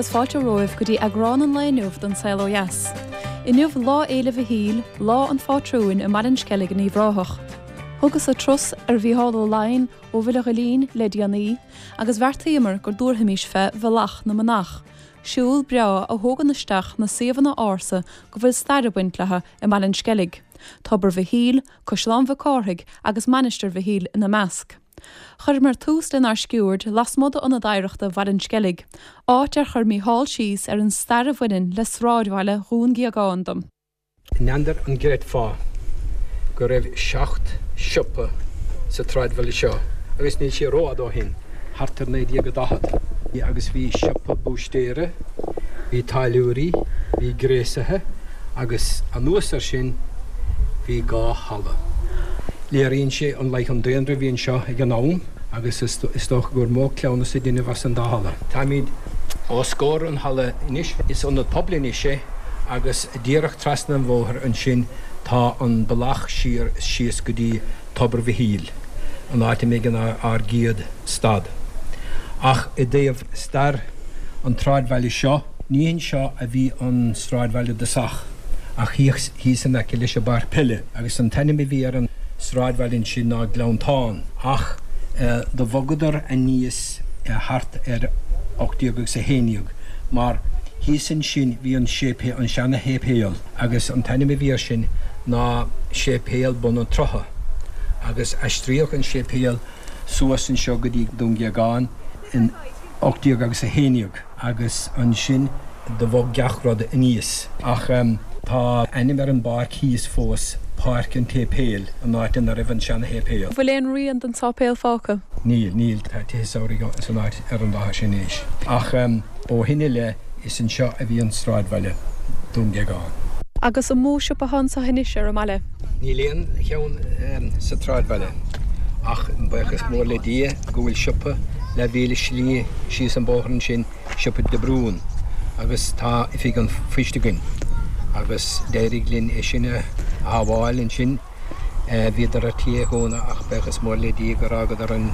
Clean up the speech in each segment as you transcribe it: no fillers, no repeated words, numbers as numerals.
agus fáilte romhaibh go dtí eagrán an lae inniu den Saol Ó Dheas. Inniu Lá Fhéile Mhichíl, lá an phátrúin i mBaile an Sceilg in Uíbh Ráthach. Thugas-sa turas ar Mhícheál Ó Laighin ó Bhaile Ghilín le déanaí agus bheartaíomar go dtabharfaimis fé Bhealach na Manach, siúl breá a thógann isteach na suíomhanna ársa go bhfuil stair ag baint leo i mBaile an Sceilg, Tobar Mhichíl, Caisleán Mhic Cárthaigh agus Mainistir Mhichíl ina measc. Chuireamar tús lenár sciuird lasmuigh d'Ionad Oidhreachta Bhaile an Sceilg, áit ar chuir Mícheál síos ar an stair a bhaineann le sráidbhaile Dhún Géagáin dom. N'fheadar an gcreidfeá go raibh seacht siopa sa tsráidbhaile seo agus níl sé rófhada ó shin, thart ar 1940. Agus bhí siopa búistéara, bhí táilliúirí, bhí gréasaithe agus anuas air sin bhí dhá halla. Léiríonn sé an laghad an daonra a bhí anseo ag an am agus is dócha gur mó cleamhnas a deineadh as an dá halla. Táimid os comhair an halla anois. Is ionad pobail anois é agus díreach trasna an bhóthair ansin tá an bealach siar síos go dtí Tobar Mhichíl, an áit a mbeidh ár gcéad stad. Ach i dtaobh stair an tsráidbhaile seo, ní anseo a bhí an sráidbhaile i dtosach. ach thíos in aice leis an bpáirc peile, agus an t-ainm a bhí ar an sráidbhaile ansin ná Gleanntán, ach do bhogadar aníos thart ar 1811, mar thíos ansin bhí an séipéal, an seana-shéipéal, agus an t-ainm a bhí air sin ná Séipéal Bun an tSrutha, agus aistríodh an séipéal suas anseo go dtí Dún Géagáin in 1811. agus ansin do bhog gach rud aníos. Ach tá ainm ar an bpáirc thíos fós, Páirc an tSéipéil, an áit ina raibh an seana-shéipéal. Bhfuil aon rian den sáipéal fágtha? Níl, níl. Tá tithe samhraidh san áit ar an láthair sin anois. Ach ó shin i leith is anseo a bhí an sráidbhaile, Dún Géagáin. Agus an mó siopa atá anseo anois ar an mbaile? Níl aon cheann sa tsráidbhaile ach buíochas mór le Dia go bhfuil siopa leathmhíle slí síos an bóthar ansin, siopa De Brún, agus tá oifig an phoist againn agus d'éirigh linn é sin a shábháil ansin. Bhíodar ar tí é a dhúnadh ach buíochas mór le Dia gur fhágadar an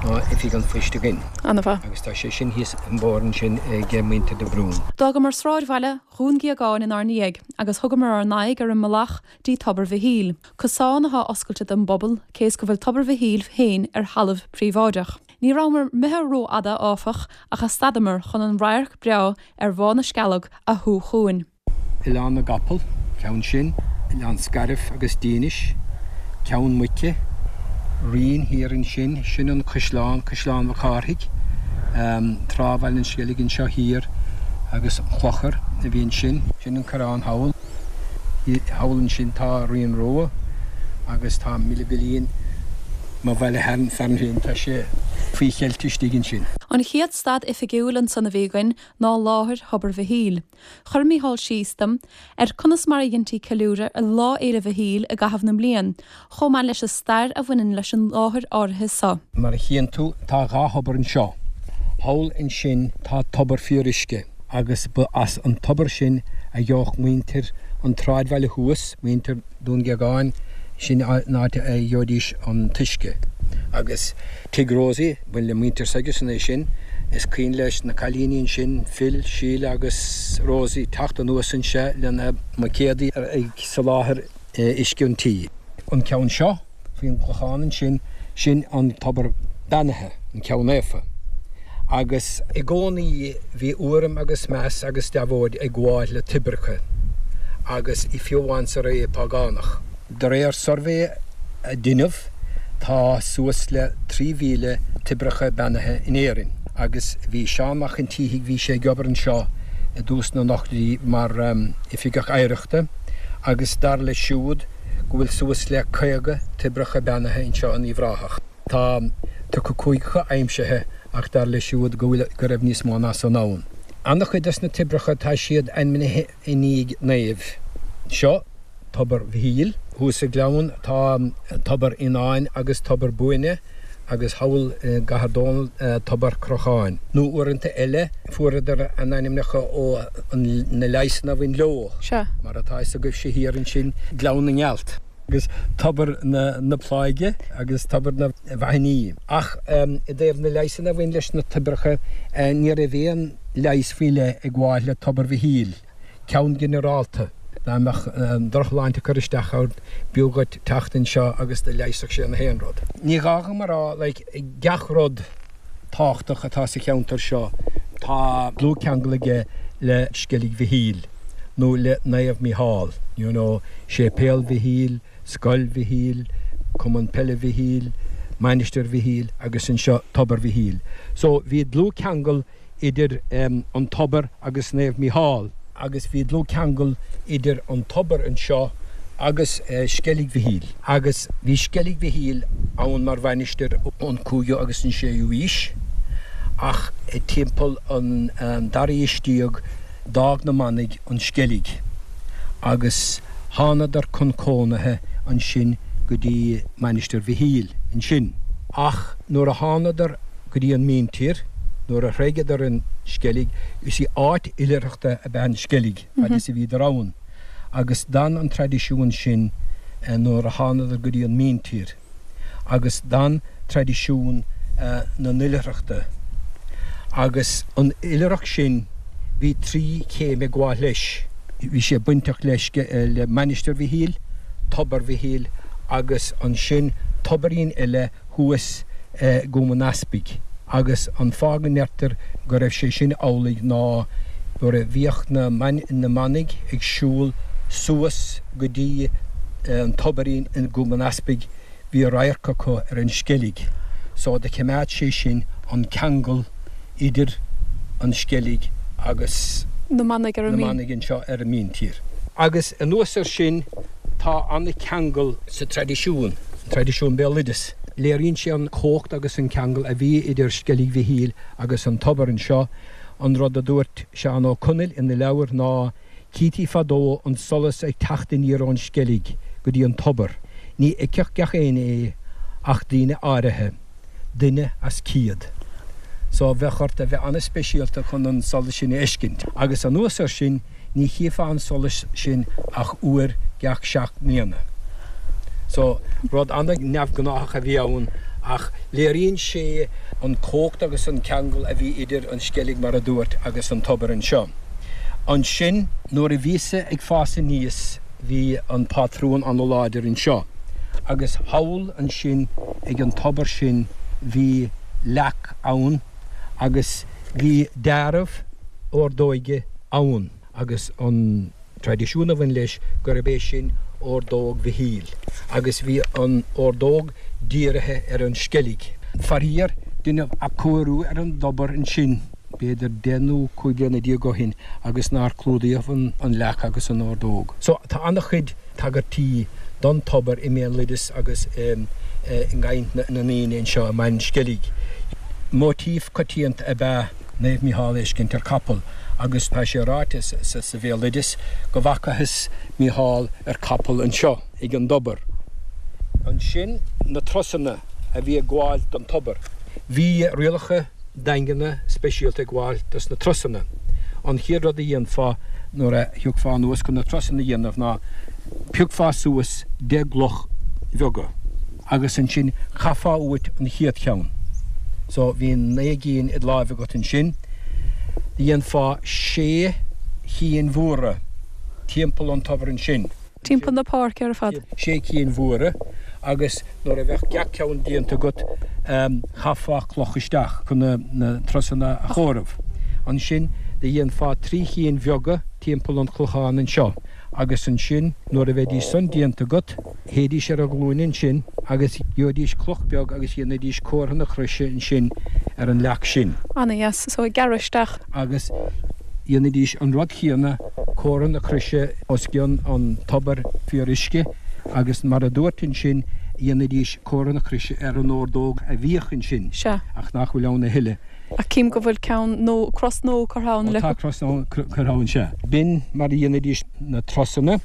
oifig an phoist againn. An-mhaith. Agus tá sé sin thíos an bóthar ansin ag muintir De Brún. D'fhágamar sráidbhaile Dhún Géagáin inár ndiaidh agus thugamar ár n-aghaidh ar an mbealach dtí Tobar Mhichíl, cosán atá oscailte don bpobal cé is go bhfuil Tobar Mhichíl féin ar thalamh príobháideach. Ní rabhamar imithe rófhada, áfach, ach a stadamar chun an radharc breá ar Bhá na Scealg a shú chugainn. Oileán na gCapall, ceann sin, Oileán Scairf agus Dínis, Ceann Muice, Rinn thiar ansin, sin an caisleán, Caisleán Mhic Cárthaigh, Trá Bhaile an Sceilg anseo thiar agus an Clochar a bhí ansin, sin an Coireán thall. Thall ansin tá Rinn Rua agus tá Míle Goillín, mo bhaile fearainn féin, tá sé faoi cheilt istigh ansin. An chéad stad oifigiúil ansan a bhí againn ná láthair Thobar Mhichíl. Chuir Mícheál síos dom ar conas mar a dheintí ceiliúradh ar Lá Fhéile Mhichíl i gcaitheamh na mblian, chomh maith leis an stair a bhaineann leis an láthair áirithe so. Mar a chíonn tú, tá dhá thobar anseo. Thall ansin tá tobar fíoruisce. agus ba as an tobar sin a gheobhadh muintir an tsráidbhaile thuas, muintir Dún Géagáin, sin an áit a gheobhaidís an t-uisce. Agus Tigh Rosie, ba le muintir s'aigesan é sin, is cuimhin leis na cailíní ansin, Phil, Sheila agus Rosie, teacht anuas anseo lena mbuicéadaí ag soláthar uisce an tí. An ceann seo. Faoin gclochán ansin, sin an tobar beannaithe, an ceann naofa. Agus i gcónaí bhí urraim agus meas agus deabhóid ag gabháil le toibreacha, agus fiú amháin sa ré phágánach. De réir suirbhé a deineadh, tá suas le 3,000 toibreacha beannaithe in Éirinn. Agus bhí Seán Mac an tSíthigh, bhí sé ag obair anseo i dtús na n-ochtóidí mar Oifigeach Oidhreachta, agus dar leis siúd, go bhfuil suas le 50 toibreacha beannaithe anseo in Uíbh Ráthach. Tá tugtha 5 acu aimsithe ach dar leis siúd go bhfuil go raibh níos mó ná san ann. An-chuid des na toibreacha tá siad ainmnithe i ndiaidh naoimh. Seo Tobar Mhichíl. Thuas sa ghleann tá Tobar Fhionáin agus Tobar Buaine agus thall i gCathair Dónall Tobar Chrocháin. Nó uaireanta eile fuaireadar a n-ainmneacha ó na leigheasanna a bhain leo, mar atá fhios agaibhse thiar ansin, Gleann na nGealt. agus Tobar na Pláige agus Tobar na bhFaithní. Ach i dtaobh na leigheasanna a bhain leis na toibreacha, ní raibh aon. leigheas faoi leith ag gabháil le Tobar Mhichíl, ceann ginearálta, dá mbeadh an drochshláinte ag cur isteach ort, b'fhiú dhuit teacht anseo agus do leigheasfadh sé na haon rud. Ní gá dhom a rá, like, gach rud tábhachtach atá sa cheantar seo, tá dlúthcheangal aige le Sceilg Mhichíl nó le Naomh Mícheál, you know, Séipéal Mhichíl, Scoil Mhichíl, Cumann Peile Mhichíl, Mainistir Mhichíl agus anseo Tobar Mhichíl. So bhí dlúthcheangal idir an tobar agus Naomh Mícheál, agus bhí dlúthcheangal idir an tobar anseo agus Sceilg Mhichíl, agus bhí Sceilg Mhichíl ann mar mhainistir ón cúigiú agus an séú aois, ach timpeall an dara haois déag d'fhág na manaigh an Sceilg agus thánadar chun cónaithe ansin go dtí Mainistir Mhichíl ansin. Ach nuair a thánadar go dtí an míntír, nuair a thréigeadar an Sceilg, you see, áit oilithreachta ab ea an Sceilg fad is a bhíodar ann, agus d'fhan an traidisiún sin nuair a thánadar go dtí an míntír, agus d'fhan traidisiún na n-oilithreachta. Agus an oilithreacht sin, bhí tri chéim ag gabháil leis. Bhí sé bainteach le Mainistir Mhichíl, Tobar Mhichíl agus ansin tobairín eile thuas i gCúm an Easpaig agus an fáth go ndeirtear go raibh sé sin amhlaidh ná nuair a bhíodh na manaigh ag siúl suas go dtí an tobairín i gCúm an Easpaig bhí radharc acu ar an Sceilg so do choimeád sé sin an ceangal idir an Sceilg agus na manaigh ar an na manaigh anseo ar an míntír. Agus anuas ar sin tá an-cheangal sa traidisiún, an traidisiún béaloideas. Léiríonn sé an chumhacht agus an ceangal a bhí idir Sceilg Mhichíl agus an tobar anseo. An rud a dúirt Seán Ó Conaill ina leabhar ná, Cítí fadó an solas ag teacht aniar ón Sceilg go dtí an tobar. Ní fheicfeadh gach éinne é ach daoine áirithe. duine as cíad. So bheadh ort a bheith an-speisialta chun an solas sin a fheiscint. Agus anuas air sin, ní chífeá an solas sin ach uair gach seacht mbliana. So, rud an-neamhghnáthach a bhí ann ach léiríonn sé an chumhacht agus an ceangal a bhí idir an Sceilg, mar a dúirt, agus an tobar anseo. Ansin, nuair a bhíos-sa ag fás aníos, bhí an pátrún an-láidir anseo agus thall ansin ag an tobar sin bhí leac ann agus bhí deáramh ordóige ann agus an traidisiún a bhain leis gurb é sin ordóg Mhichíl agus bhí an ordóg dírithe ar an Sceilg. Faraor, deineadh athchóiriú ar an dtobar ansin. b'fhéidir 10 nó 15 bliana ó shin agus nár clúdaíodh an leac agus an ordóg. So tá an-chuid tagairtí don tobar i mbéaloideas agus i gcaint na ndaoine anseo i mBaile an Sceilg. Móitíf coitianta ab ea Naomh Mícheál a fheiscint ar capall agus tá sé ráite sa bhéaloideas go bhfacathas Mícheál ar capall anseo ag an dtobar. Ansin na trusanna a bhí ag gabháil don tobar. Bhí rialacha daingeana speisialta ag gabháil dos na trusanna. An chéad rud a dhéanfá nuair a thiocfá anuas chun na trusanna a dhéanamh ná phiocfá suas 10 gcloch bheaga agus ansin chaithfeá uait an chéad cheann. So bhí 9 gcinn id láimh agat ansin. Dhéanfá sé chinn mhóra timpeall an tobair ansin. Timpeall na páirce ar fad. Sé cinn mhóra agus nuair a bheadh gach ceann déanta agat chaithfeá cloch isteach chun na trusanna a chomhaireamh. Ansin do dhéanfá tri chinn bheaga timpeall an chlocháin anseo agus ansin nuair a bheidís san déanta agat théidís ar a ghlúine ansin agus gheobhaidís cloch beag agus dhéanfaidís comhartha na croise ansin ar an leac sin. Ana dheas. So ag gearradh isteach. Agus dhéanfaidís an rud chéanna, comhartha na croise os cionn an tobair fíoruisce agus mar a dúirt ansin, dhéanfaidís comhartha na croise ar an ordóg a bhíodh ansin Sea. ach nach bhfuil ann a thuilleadh. Ach cím go bhfuil ceann nó cros nua curtha ann le. Ó tá cros nua curtha ann, sea. B'in mar a dhéanfaidís na trusanna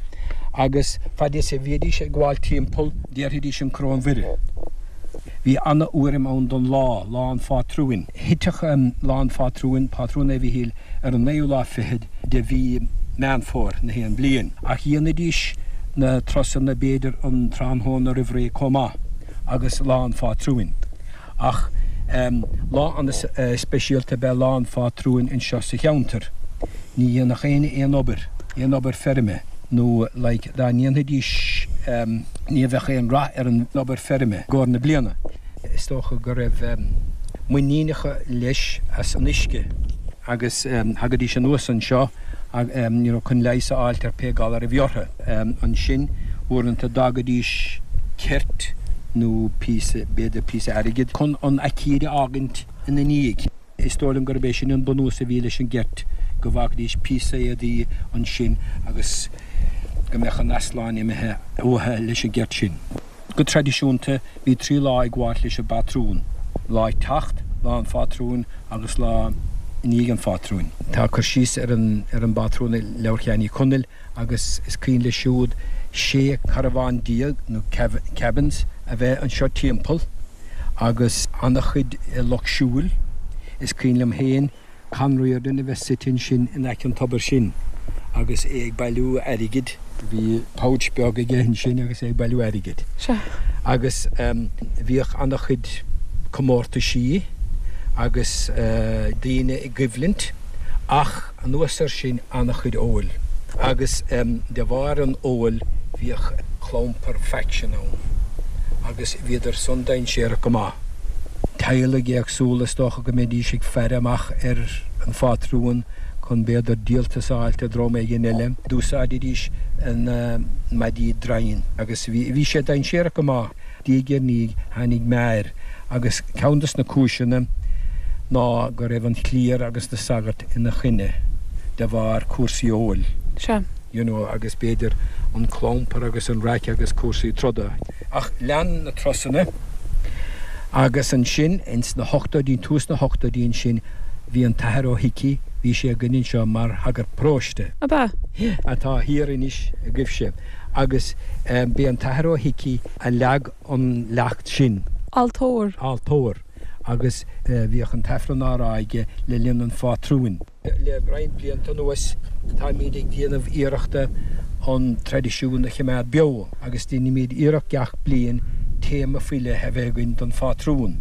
agus fad is a bhídís ag gabháil timpeall déarfaidís an Coróin Mhuire. Bhí ana-urraim ann don lá, Lá an Phátrúin. Thitfeadh Lá an Phátrúin, Pátrún Naomh Mhichíl, ar an naoú lá fichead de mhí Meán Fómhair na haon bliain. Ach dhéanaidís na trusanna b'fhéidir an tráthnóna roimh ré chomh maith agus Lá an Phátrúin. Ach. Lá an-speisialta ab ea Lá an Phátrúin anseo sa cheantar. Ní dhéanfadh éinne aon obair, aon obair feirme, nó like dá ndéanfaidís ní bheadh aon rath ar an obair feirme i gcomhair na bliana. Is dócha go raibh muinín acu leis as an uisce agus thagaidís anuas anseo you know chun leigheas a fháilt ar pé galar a bhí orthu. Ansin uaireanta d'fhágaidís ceirt nó píosa, b'fhéidir píosa airgid chun an aicíd a fhágaint ina ndiaidh. Is dóigh liom gurb é sin an bunús a bhí leis an gceirt, go bhfágfaidís píosa éadaí ansin agus go mbeadh an easláin imithe uathu leis an gceirt sin. Go traidisiúnta, bhí 3 lá ag gabháilt leis an bpátrún, lá ag teacht, lá an phátrúin agus lá i ndiaidh an phátrúin. Tá cur síos ar an ar an bpátrún i Leabhar Sheáin Uí Chonaill agus is cuimhin leis siúd 16 carbhán nó cabins a bheith anseo timpeall agus ana-chuid lucht siúil. Is cuimhin liom féin Con Riordan a bheith suite ansin in aice an tobair sin agus é ag bailiú airgid. Bhí pouch beag aige ansin agus é ag bailiú airgid. Sea. Agus bhíodh ana-chuid comórtaisí agus daoine i gcoimhlint ach anuas air sin ana-chuid óil. Agus de bharr an óil bhíodh clampar faction ann agus bhíodar san dainséarach go maith. Teaghlaigh éagsúla is dócha go mbeidís ag faire amach ar an phátrún chun b'fhéidir díoltas a fháilt ó dhream éigin eile. D'úsáididís na maidí draighin agus bhí sé dainséarach go maith. Diaidh ar ndiaidh tháinig meath air agus ceann des na cúiseanna ná go raibh an chliar agus na sagairt ina choinne de bharr cúrsaí óil. Sea. You know agus b'fhéidir an clampar agus an raic agus cúrsaí troda. Ach lean na turasanna agus ansin ins na hochtóidí, tús na hochtóidí ansin, bhí an tAthair Ó hIcí, bhí sé againn anseo mar shagart paróiste. Ab ea? Atá thiar anois agaibhse. Agus b'é an tAthair Ó hIcí a leag an leacht sin. Altóir. Altóir. Agus bhíodh an tAifreann á rá aige le linn an phátrúin. Le roinnt blianta anuas táimid ag déanamh iarrachta an traidisiún a choimeád beo agus déanaimid iarracht gach bliain téama faoi leith a bheith againn don phátrún.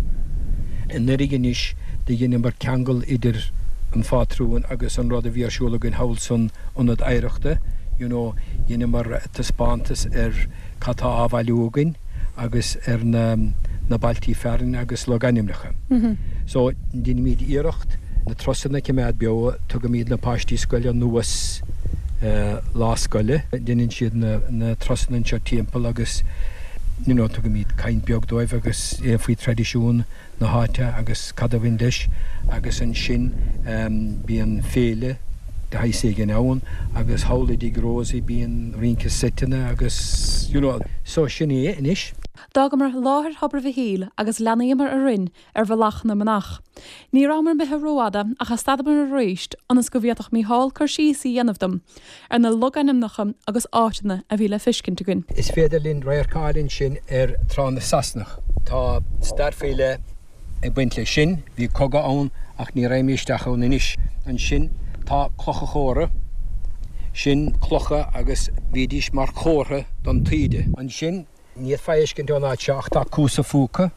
Anuraidh anois do dheineamar ceangal idir an phátrún agus an rud a bhí ar siúl againn thall san Ionad Oidhreachta, you know dheineamar taispeántas ar cad tá á bhailiú againn agus ar na na bailtí fearainn agus logainmneacha. So, deinimid iarracht na turasanna a choimeád beo, tugaimid na páistí scoile anuas lá scoile, deineann siad na na turasanna anseo timpeall agus you know tugaimid caint beag dóibh agus é faoi traidisiún na háite agus cad a bhain leis agus ansin bíonn féile de shaghas éigin ann agus thall i dtigh Rosie bíonn rince seiteanna agus you know so sin é anois. D'fhágamar láthair Thobar Mhichíl agus leanaíomar orainn ar Bhealach na Manach. Ní rabhamar imithe rófhada ach stadamar arís ionas go bhféadfadh Mícheál cur síos a dhéanamh dom ar na logainmneacha agus áiteanna a bhí le feiscint againn. Is féidir linn radharc a fháil ansin ar Trá na Sasanach. Tá stair faoi leith ag baint leis sin. Bhí cogadh ann ach ní raghaidh mé isteach ann anois. Ansin tá Clocha Chomhra. Sin clocha agus bhídís mar chomhartha don taoide. Ansin. Ní fhéadfá a fheiscint ón áit seo ach tá Cuas a' Phúca,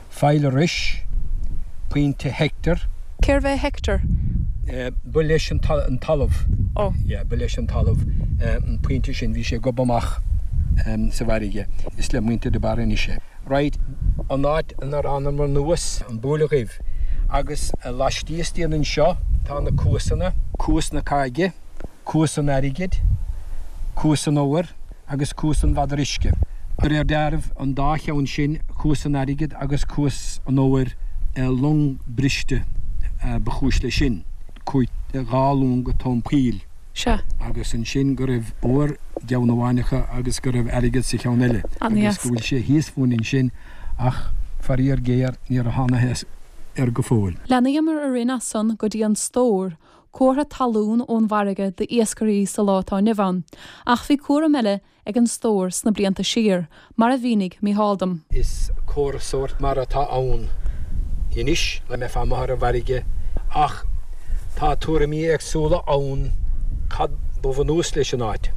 Faill Rois, Pointe Hector. Cérbh é Hector? Ba leis an talamh. Ó. Yeah, ba leis an talamh an pointe sin, bhí sé ag gobadh amach sa bhfarraige. Is le muintir de Barra anois é. Right, an áit inar fhanamar anuas, an Bhuaile Dhuibh. Agus laistíos dínn anseo tá na cuasanna, Cuas na Caige. Cuas an Airgid, Cuas an Óir agus Cuas an Mhadra Uisce. De réir dealraimh, an dá cheann sin, Cuas an Airgid agus Cuas an Óir, long briste ba chúis leis sin. Chuaigh dhá long go tóin poill. Sea. Agus ansin go raibh ór i gceann amháin acu agus go raibh airgead sa cheann eile. An-dheas. Agus go bhfuil sé thíos fúinn ansin ach faraor géar níor thánathas air go fóill. Leanaíomar orainn as san go dtí an Stór, comhartha talún ón bhfarraige d'iascairí sa lá atá inniu ann. Ach bhí cúram eile ag an stór sna blianta siar, mar a mhínigh Mícheál dom. Is comhartha sóirt mar atá ann anois le mbeifeá amuigh ar an bhfarraige ach tá tuairimí éagsúla ann cad ba bhunús leis an áit.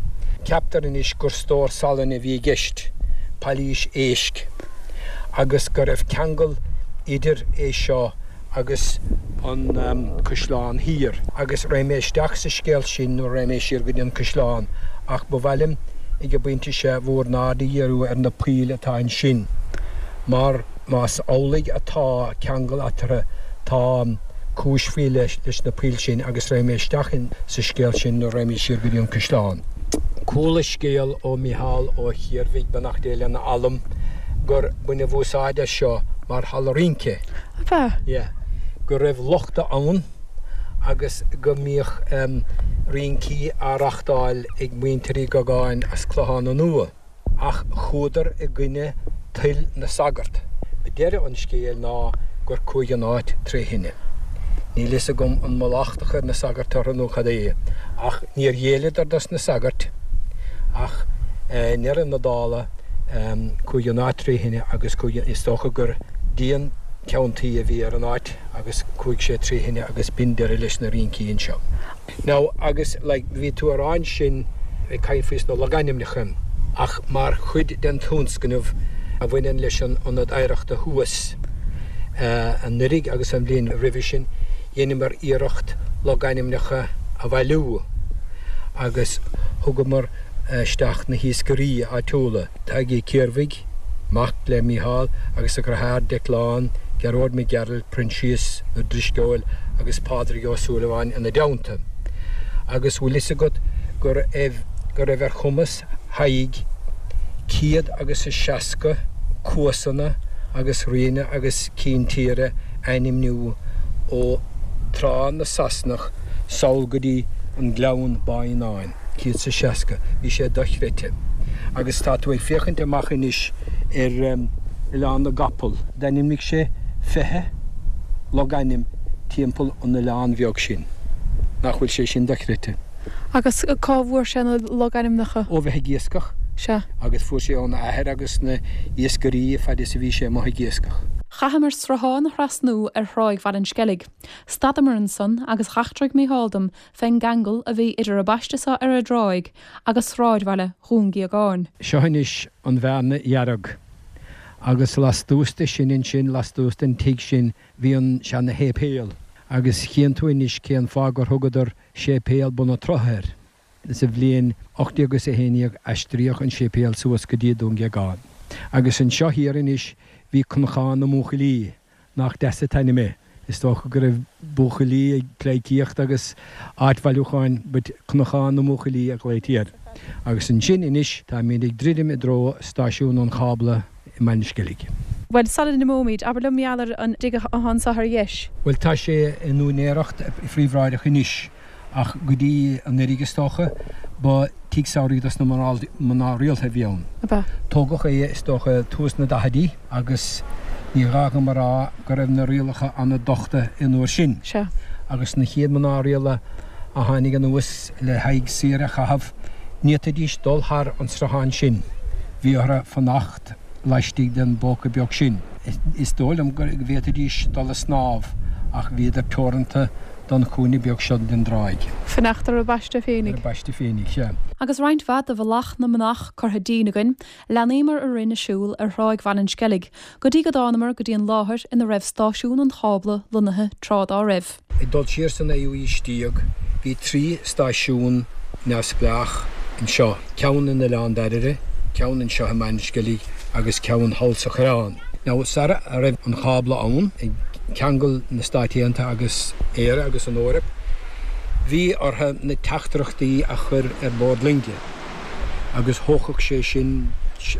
Ceaptar anois gur stór salainn a bhí i gceist, pailís éisc, agus go raibh ceangal. idir é seo agus an Caisleán Thiar. Agus raghaidh mé isteach sa scéal sin nuair a raghaidh mé siar go dtí an Caisleán ach ba mhaith liom ag an bpointe seo bhur n-aird a dhíriú ar na poill atá ansin mar más amhlaidh atá ceangal eatarthu tá cúis faoi leith leis na poill sin agus raghaidh mé isteach sa scéal sin nuair a raghaimid siar go dtí an Caisleán. Chuala scéal ó Mhícheál Ó Ciarmhaigh, beannacht Dé lena anam, gur baineadh úsáid as seo mar halla rince. Ab ea? Yeah. Go raibh lochta ann agus go mbíodh rincí á reachtáil ag muintir Uí Dhugáin as Clochán an Iúir. Ach chuadar i gcoinne toil na sagart. Deireadh an scéil ná gur chuaigh an áit tré thine. Níl fhios agam an mba locht a chuir na sagairt orthu nó cad é, ach níor ghéilleadar dos na sagairt ach i ndeireadh na dála chuaigh an áit tré thine agus chuaigh, is dócha gur díon ceann tuí a bhí ar an áit agus chuaigh sé tré thine agus b'in deireadh leis na rincí anseo. Now agus like bhí tú a rá ansin ag caint faoi sna logainmneacha ach mar chuid den tionscnamh a bhaineann leis an Ionad Oidhreachta thuas anuraidh agus an bhliain roimhe sin dheineamar iarracht logainmneacha a bhailiú agus thugamar isteach na hiascairí áitiúla, Tadhg Ó Ciarmhaigh, mac le Mícheál, agus a dheartháir Declan, Gearóid Mac Gearailt, Proinsias Ó Drisceoil agus Pádraig Ó Súilleabháin ina dteannta. Agus bhfuil fhios agat go raibh go raibh ar chumas Thaidhg céad agus a 60 cuasanna agus rianna agus cinn tíre a ainmniú ó Trá na Sasanach sall go dtí an Gleann Báíneáin. 160. Bhí sé dochreidte. Agus tá tú ag féachaint amach anois ar Oileán na gCapall. D'ainmnigh sé 20 logainm timpeall an oileáin bheag sin. Nach bhfuil sé sin dochreidte? Agus cá bhfuair sé na logainmneacha? Ó bheith ag iascach. Sea. Agus fuair sé óna athair agus na iascairí fad is a bhí sé amuigh ag iascach. Chaitheamar sruthán a thrasnú ar thráigh Bhaile an Sceilg. Stadamar ansan agus dh'eachtraigh Mícheál dom fén gceangal a bhí idir an bpaiste so ar an dtráigh agus sráidbhaile Dhún Gíogáin. Seo anois an Bhearna Dhearg. Agus lastuas de sin ansin, lastuas den tigh sin, bhí an seana-shéipéal. Agus chíonn tú anois cén fáth gur thugadar Séipéal Bun an tSrutha air. Sa bhliain 1811 aistríodh an séipéal suas go dtí Dún Gíogáin. Agus anseo thiar anois bhí Cnocán na mBuachaillí. Nach deas an t-ainm é. Is dócha go raibh buachaillí ag pleidhcíocht agus áit bhailiúcháin but Cnocán na mBuachaillí a ghlaoití air. Agus ansin anois táimid ag druidim i dtreo stáisiún an chábla i mBaile an Sceilg. Bhuel, sula n-imeoimid, abair liom mar gheall ar an dtigh atá anso ar dheis. Bhuel, tá sé in úinéireacht phríobháideach anois. Ach go dtí anuraidh, is dócha, ba tigh samhraidh dos na mná rialta a bhí ann. Ab ea? Tógadh é, is dócha, tús na daichidí agus ní gá dhom a rá go raibh na rialacha an-dochta an uair sin. Sea. Agus na chéad mná rialta a tháinig anuas le haghaidh saoire a chaitheamh, ní fhéadfaidís dul thar an sruthán sin. Bhí orthu fanacht laistigh den bpóca beag sin. Is dóigh liom go bhféadfaidís dul a snámh ach bhíodar teoranta don chúinne beag seo den dtráigh. Fanacht ar a bpaiste féinig. Ar a bpaiste féinig, sea. Agus roinnt mhaith de mhallacht na manach curtha dínn againn, leanaíomar orainn ag siúl ar thráigh Bhaile an Sceilg, go dtí go dtánamar go dtí an láthair ina raibh stáisiún an chábla lonnaithe tráth dá raibh. Ag dul siar sa naoú aois déag, bhí 3 stáisiún neamhspleách anseo, ceann in Oileán Dairbhre, ceann anseo i mBaile an Sceilg agus ceann thall sa Choireán. Now, sara raibh an cábla ann, ag ceangal na Stáit Aontaithe agus Éire agus an Eoraip, bhí orthu na teachtaireachtaí a chur ar bord loinge agus thógfadh sé sin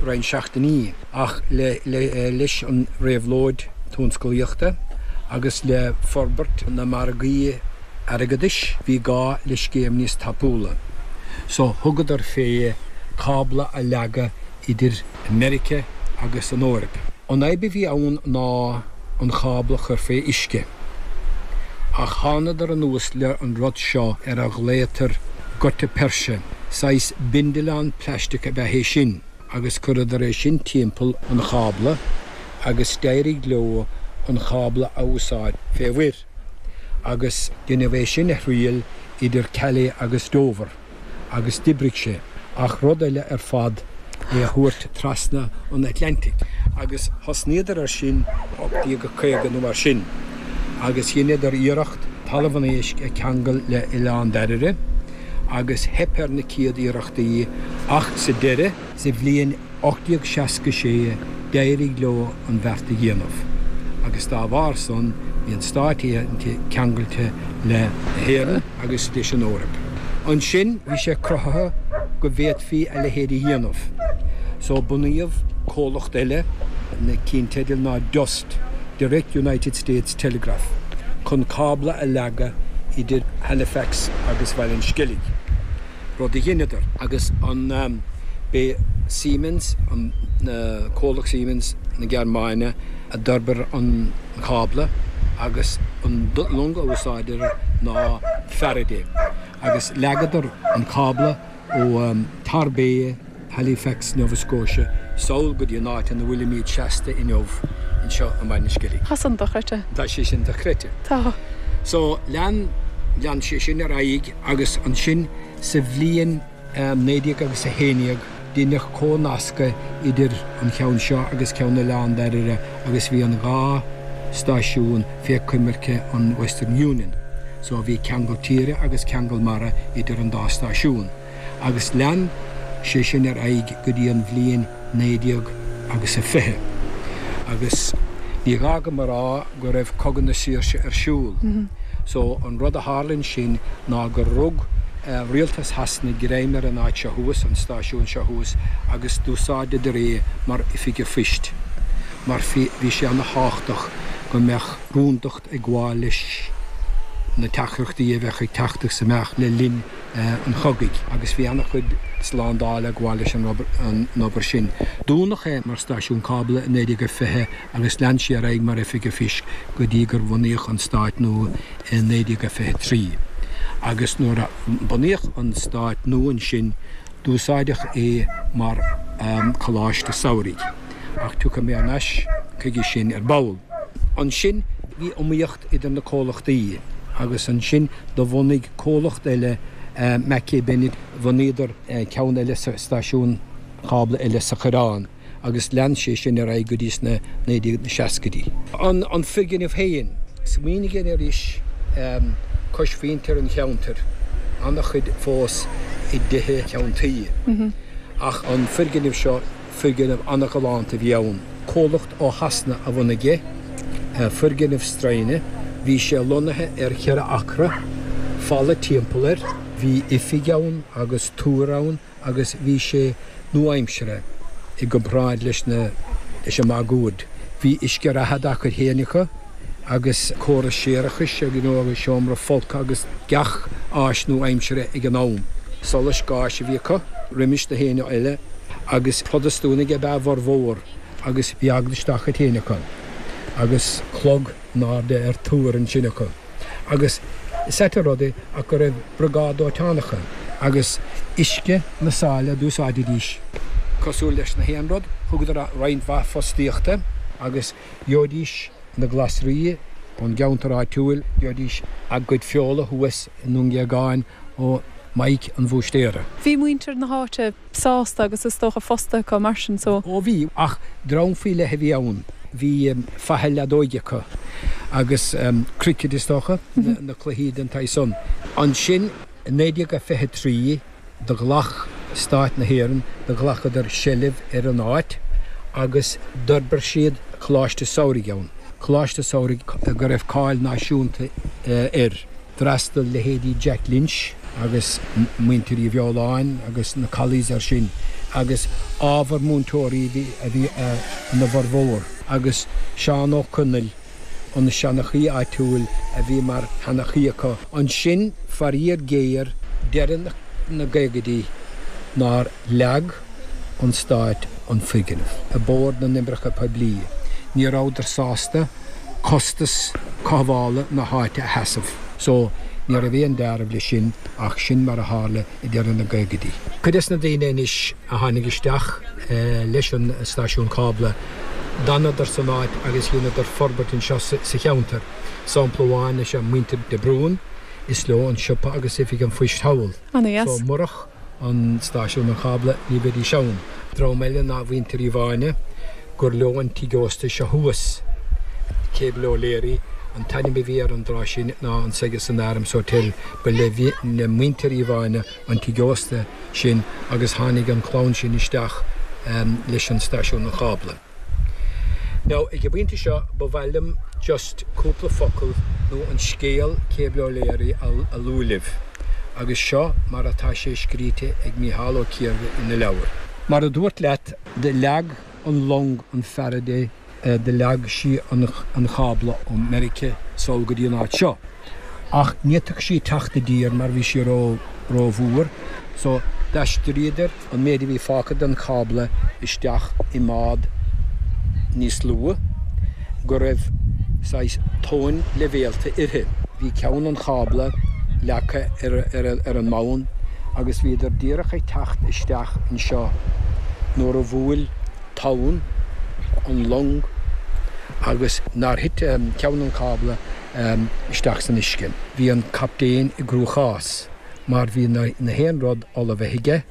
roinnt seachtainí. Ach le leis an réabhlóid tionsclaíochta agus le forbairt na margaí airgeadais, bhí gá le scéim níos tapúla. So thugadar fé cábla a leagadh idir Meiriceá agus an Eoraip. An fhadhb a bhí ann ná an cábla a chur fé uisce. Ach thánadar anuas le an rud seo ar a ghlaotar gutta percha. Saghas bindealán plaisteach ab ea é sin agus chuireadar é sin timpeall an chábla agus d'éirigh leo an cábla a úsáid fé mhuir. Agus deineadh é sin a thriail idir Calais agus Dover. agus d'oibrigh sé. Ach rud eile ar fad. É a thabhairt trasna an Atlantaigh. Agus thosnaíodar ar sin 1850 nó mar sin agus dheineadar iarracht Talamh an Éisc a cheangal le Oileán Dairbhre agus theip ar na céad iarrachtaí ach sa deireadh, sa bhliain 1866 d'éirigh leo an bheart a dhéanamh agus dá bharr san bhí an Stát Aontaithe ceangailte le hÉirinn agus leis an Eoraip. Ansin bhí sé cruthaithe go bhféadfaí a leithéid a dhéanamh so bunaíodh comhlacht eile, na cinnteidil ná DUST, Direct United States Telegraph, chun cábla a leagadh idir Halifax agus Bhaile an Sceilg. Rud a dheineadar. Agus an b'é Siemens, an comhlacht Siemens na Gearmáine a d'fhorbair an cábla agus an long a úsáideadar ná Faraday. Agus leagadar an cábla ó Torbay, Halifax, Nova Scotia, sall go dtí an áit ina bhfuilimíd seasta inniu anseo i mBaile an Sceilg. Tá san dochreidte. Tá sé sin dochreidte. Tá. So lean, lean sé sin ar aghaidh agus ansin sa bhliain 19 agus 11 deineadh comhnascadh idir an cheann seo agus ceann Oileán Dairbhre agus bhí an dhá stáisiún fé coimirce an Western Union. So bhí ceangal tíre agus ceangal mara idir an dá stáisiún. Agus lean sé sin ar aghaidh go dtí an bhliain 19 agus a 20. Agus ní gá dom a rá go raibh Cogadh na Saoirse ar siúl. So an rud a tharla ansin ná gur rug rialtas Shasana greim ar an áit seo thuas, an stáisiún seo thuas, agus d'úsáideadar é mar oifig an phoist. Mar bhí sé ana-thábhachtach go mbeadh rúndacht ag gabháil leis na teachtaireachtaí a bheadh ag teacht agus imeacht le linn an chogaidh agus bhí an-chuid slándála ag gabháil leis an obair sin. Dúnadh é mar stáisiún cábla i 1920 agus lean sé ar aghaidh mar oifig an phoist go dtí gur bhunaíodh an stát nua i 1923. Agus nuair a bunaíodh an stát nua ansin d'úsáideadh é mar choláiste samhraidh. Ach tiocfaidh mé thar n-ais chuige sin ar ball. Ansin bhí iomaíocht idir na comhlachtaí agus ansin do bhunaigh comhlacht eile Mackay Bennett, bhunaíodar ceann eile sa stáisiún cábla eile sa Choireán agus lean sé sin ar aghaidh go dtí sna 1960idí. An foirgneamh féin, smaoinigh anois cois mhuintir an cheantair, an-chuid fós i dtithe ceann tuí ach an foirgneamh seo, Foirgneamh an-ghalánta a bhí ann. Comhlacht ó Shasana a bhunaigh é. Foirgneamh stroighne. Bhí sé lonnaithe ar cheithre acra, falla timpeall air. Bhí oifig ann agus túr ann agus bhí sé nua-aimseartha i gcomparáid leis na leis an máguaird. Bhí uisce reatha dá gcuid féin acu agus córas séarachais you know agus seomra folctha agus gach áis nua-aimseartha ag an am. Solas gáis a bhí acu roimis na héinne eile. Agus Protastúnaigh ab ea a bhformhór agus bhí eaglais dá chuid féin acu agus clog in airde ar túr ansin acu. Agus is ait an rud é ach go raibh briogáid dóiteáin acu agus uisce na sáile a d'úsáididís. Cosúil leis na haon rud, thugadar roinnt mhaith fostaíochta agus gheobhaidís na glasraí ón gceantar áitiúil, gheobhaidís a gcuid feola thuas i nDún Géagáin ó Mike an Bhúistéara. Bhí muintir na háite sásta agus is dócha fostaithe acu mar sin so. Ó bhí, ach dream faoi leith a bhí ann. Bhí faiche leadóige acu agus cricket is dócha, na cluichí den tsaghas san. Ansin i 1923 do ghlac Stát na hÉireann, do ghlacadar seilbh ar an áit agus d'fhorbair siad Coláiste Samhraidh ann, Coláiste Samhraidh go raibh cáil náisiúnta air. D'fhreastail leithéidí Jack Lynch agus muintir Uí Bheoláin agus na Collies air sin agus ábhar múinteoirí a bhí ina bhformhór agus Seán Ó Conaill, an seanchaí áitiúil a bhí mar sheanchaí acu. Ansin, faraor géar, deireadh na gcaogaidí nár leag an Stát an foirgneamh ag Bord na nOibreacha Poiblí. Ní rabhadar sásta. costas cothabhála na háite a sheasamh. So, ní raibh aon deáramh leis sin ach sin mar a tharla i deireadh na gcaogaidí. Cuid des na daoine anois a tháinig isteach leis an stáisiún cábla, d'fhanadar san áit agus dheineadar forbairt anseo sa cheantar. Sampla amháin is ea muintir de Brún, is leo an siopa agus oifig an phoist thall. Ana dheas. So, murach an stáisiún an chábla, ní bheidís ann. Dream eile ná mhuintir Uí Mhaine, gur leo an tigh ósta seo thuas, Cable O'Leary an t-ainm a bhí air an tráth sin ná an Segerson Arms Hotel, ba le muintir Uí Mhaine an tigh ósta sin agus tháinig an chlann sin isteach leis an staisiún an chábla. Now, ag an bpointe seo, ba mhaith liom just cúpla focal nó an scéal Cable O'Leary a lua libh, agus seo mar atá sé scríte ag Mícheál Ó Ciardha ina leabhar. Mar a dúrt leat, do leag an long an Faraday, do leag sí an cábla ó Meirice sall go dtí an áit seo. Ach ní fhéadfadh sí teacht i dtír mar bhí sí ró, rómhór, so d'aistríodar an méid a bhí fágtha den chábla isteach i mbád níos lú, go raibh saghas tóin leibhéalta uirthi. Bhí ceann an chábla leagtha ar an mbonn agus bhíodar díreach ag teacht isteach anseo nuair a bhuail tonn an long agus nár thit ceann an chábla isteach san uisce. Bhí an captaen i gcruachás mar bhí na haon rud ullmhaithe aige,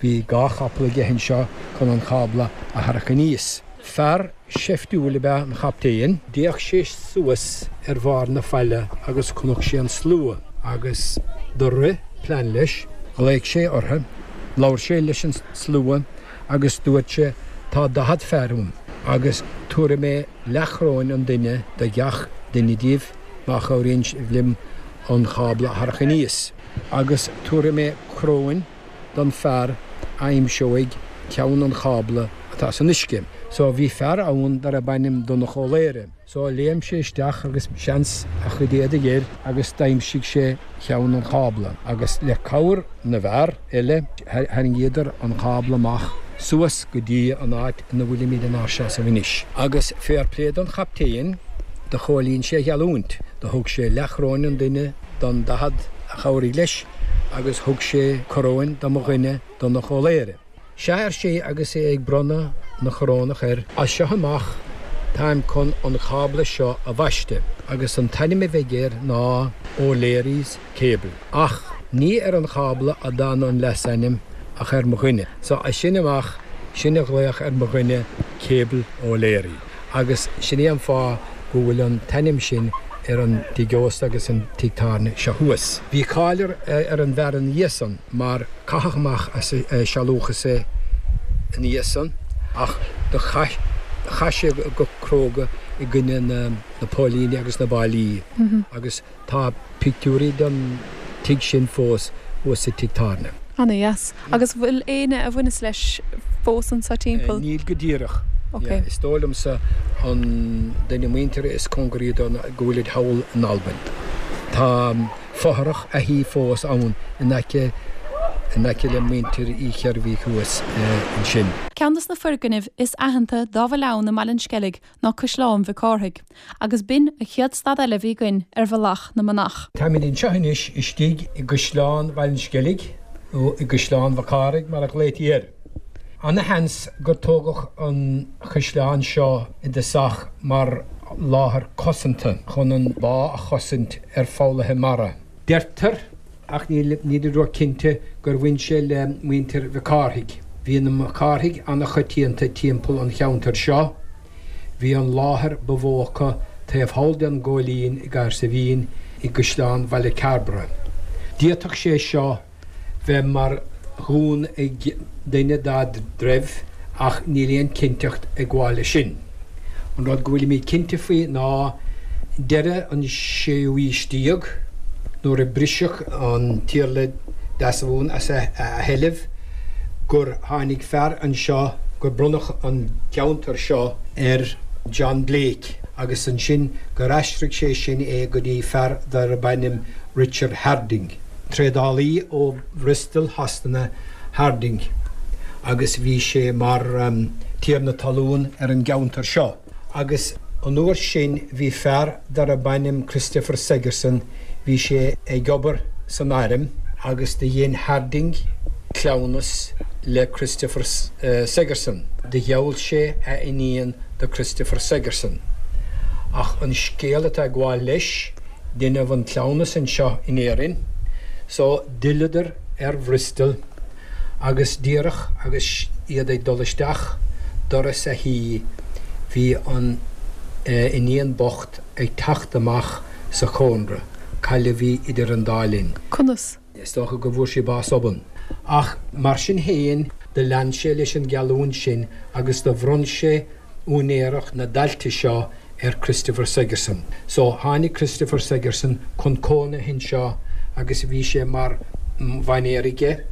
bhí 2 chapall aige anseo chun an cábla a tharrac aníos. Fear seiftiúil ab ea an chaptaen. D'fhéach sé suas ar bharr na faille agus chonaic sé an slua agus do rith plean leis. Ghlaoigh sé orthu, labhair sé leis an slua agus dúirt sé, Tá 40 fear uaim agus tabharfaidh mé leathchoróin an duine do gach duine díobh má chabhraíonn sibh liom an cábla a tharrac aníos. Agus tabharfaidh mé coróin don fear a aimseoidh ceann an chábla atá san uisce. So bhí fear ann darb ainm Donncha Ó Laoire. So léim sé isteach agus seans a chuid éadaigh air agus d'aimsigh sé ceann an chábla agus le cabhair na bhfear eile tharraingíodar an cábla amach suas go dtí an áit ina bhfuilimid inár seasamh anois. Agus fair play don chaptaen, do chomhlíon sé a gheallúint. Do thug sé leathchoróin an duine don 40 a chabhraigh leis agus thug sé coróin do mo dhuine, Donncha Ó Laoire. Sea, ar sé agus é ag bronnadh na corónach air, as seo amach táim chun an cábla seo a bhaisteadh agus an t-ainm a bheidh air ná O'Leary's Cable. Ach ní ar an chábla a d'fhan an leasainm ach ar mo dhuine. So as sin amach, sin a ghlaodh ar mo dhuine Cable O'Leary. Agus sin é an fáth go bhfuil an t-ainm sin ar an tigh ósta agus an tigh tábhairne seo thuas. Bhí cáil ar an bhfear ina dhiaidh san mar caitheadh amach as a sealúchas é ina dhiaidh san ach do chaith sé go cróga i gcoinne na póilíní agus na báillí agus Tá pictiúirí den tigh sin fós thuas sa tigh tábhairne. Ana dheas. Agus bhfuil éinne a bhaineas leis fós anso timpeall? Níl go díreach. Ok. Is dóigh liomsa an duine muinteartha is cóngaraí dó ná go bhfuilid thall in Albain. Tá fothrach a thí fós ann in aice in aice le muintir Uí Sheirbhígh thuas ansin. Ceann de na foirgnimh is aitheanta dá bhfuil ann i mBaile an Sceilg ná Caisleán Mhic Cárthaigh, agus b'in an chéad stad eile a bhí againn ar Bhealach na Manach. Táimid anseo anois istigh i gCaisleán Bhaile an Sceilg, nó i gCaisleán Mhac Cárthaigh mar a ghlaoití air. Ana-sheans gur tógadh an chaisleán seo i dtosach mar láthair cosanta chun an bá a chosaint ar foghlaithe mara. Deirtear, ach nílid ró-chinnte, gur bhain sé le muintir Mhic Cárthaigh. Bhí na Mac Cárthaigh ana-choitianta timpeall an cheantair seo. Bhí an láthair ba mhó acu taobh thall den Ghóilín i gCahersiveen i gCaisleán Bhaile Cairbre. D'fhéadfadh sé seo bheith mar dhún ag duine dá dtreibh ach níl aon chinnteacht ag gabháil leis sin. An rud go bhfuilimid cinnte faoi ná deireadh an séú aois déag, nuair a briseadh an tIarla Deasmhumhan as a sheilbh, gur tháinig fear anseo, gur bronnadh an ceantar seo ar John Blake agus ansin gur aistrigh sé sin é go dtí fear darb ainm Richard Harding. Trádálaí ó Bhristol Shasana Harding agus bhí sé mar tiarna talún ar an gceantar seo agus an uair sin bhí fear darb ainm Christopher Segerson, bhí sé ag obair san airm agus do dhein Harding cleamhnas le Christopher Segerson. Do gheall sé a iníon do Christopher Segerson. Ach an scéal atá ag gabháil leis, Deineadh an cleamhnas anseo in Éirinn so d'fhilleadar ar Bhristol agus díreach agus iad ag dul isteach doras a thí bhí an iníon bocht ag teacht amach sa chónra, cailleadh í idir an dá linn. Conas? Is dócha go bhfuair sí bás obann. Ach mar sin fhéin do lean sé leis an gheallúint sin agus do bhronn sé úinéireacht na dtailte seo ar Christopher Sigerson. So tháinig Christopher Sigerson chun cónaithe anseo agus bhí sé mar mhainéar aige